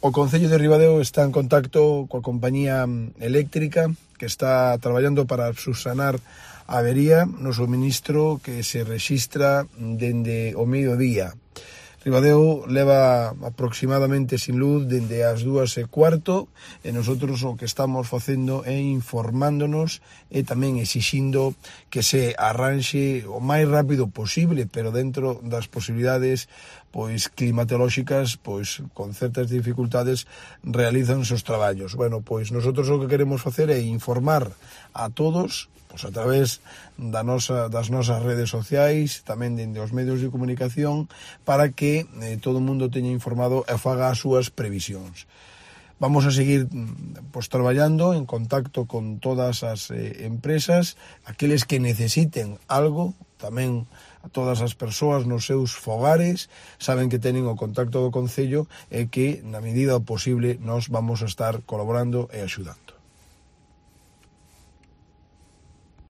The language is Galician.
O Concello de Ribadeo está en contacto coa compañía eléctrica que está traballando para subsanar a avería no suministro que se rexistra dende o mediodía. Ribadeo leva aproximadamente sin luz dende as 2:15 e nosotros o que estamos facendo é informándonos e tamén exixindo que se arranxe o máis rápido posible, pero dentro das posibilidades climatolóxicas, con certas dificultades realizan os traballos. Nosotros o que queremos facer é informar a todos a través das nosas redes sociais, tamén dende os medios de comunicación, para que todo o mundo teña informado e faga as súas previsións. Vamos a seguir traballando en contacto con todas as empresas, aqueles que necesiten algo, tamén a todas as persoas nos seus fogares, saben que teñen o contacto do Concello e que, na medida posible, nós vamos a estar colaborando e axudando.